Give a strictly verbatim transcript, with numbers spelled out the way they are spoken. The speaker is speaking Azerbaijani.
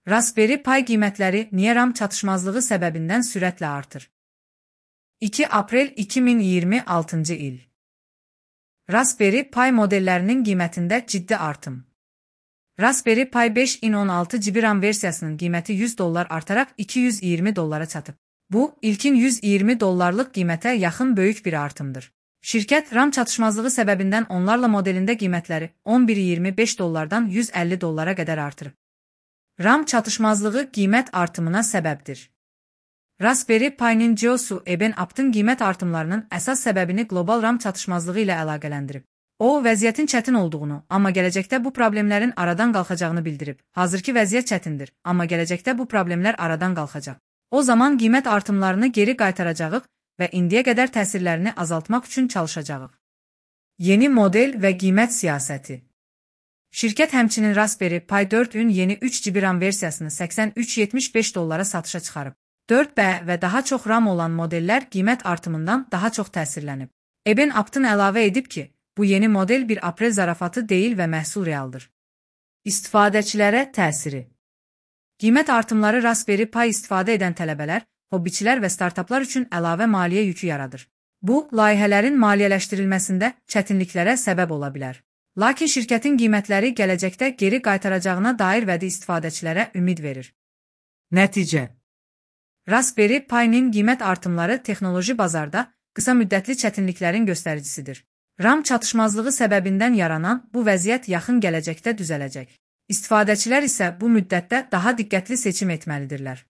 Raspberry Pi qiymətləri niyə RAM çatışmazlığı səbəbindən sürətlə artır? iki aprel iki min iyirmi altıncı il. Raspberry Pi modellərinin qiymətində ciddi artım. Raspberry Pi beş in on altı giqabayt RAM versiyasının qiyməti yüz dollar artaraq iki yüz iyirmi dollara çatıb. Bu, ilkin yüz iyirmi dollarlıq qiymətə yaxın böyük bir artımdır. Şirkət RAM çatışmazlığı səbəbindən onlarla modelində qiymətləri on bir iyirmi beş dollardan yüz əlli dollara qədər artırıb. RAM çatışmazlığı qiymət artımına səbəbdir. Raspberry Pi'nin C E O-su Eben Apt'ın qiymət artımlarının əsas səbəbini qlobal RAM çatışmazlığı ilə əlaqələndirib. O, vəziyyətin çətin olduğunu, amma gələcəkdə bu problemlərin aradan qalxacağını bildirib. Hazırki vəziyyət çətindir, amma gələcəkdə bu problemlər aradan qalxacaq. O zaman qiymət artımlarını geri qaytaracağıq və indiyə qədər təsirlərini azaltmaq üçün çalışacağıq. Yeni model və qiymət siyasəti. Şirkət həmçinin Raspberry Pi dördün yeni üç giqabayt RAM versiyasını səksən üç yetmiş beş dollara satışa çıxarıb. dörd B və daha çox RAM olan modellər qiymət artımından daha çox təsirlənib. Eben Apt'ın əlavə edib ki, bu yeni model bir aprel zarafatı deyil və məhsul realdır. İstifadəçilərə təsiri. Qiymət artımları Raspberry Pi istifadə edən tələbələr, hobbiçilər və startaplar üçün əlavə maliyyə yükü yaradır. Bu, layihələrin maliyyələşdirilməsində çətinliklərə səbəb ola bilər. Lakin şirkətin qiymətləri gələcəkdə geri qaytaracağına dair vədi istifadəçilərə ümid verir. Nəticə. Raspberry Pi'nin qiymət artımları texnoloji bazarda qısa müddətli çətinliklərin göstəricisidir. RAM çatışmazlığı səbəbindən yaranan bu vəziyyət yaxın gələcəkdə düzələcək. İstifadəçilər isə bu müddətdə daha diqqətli seçim etməlidirlər.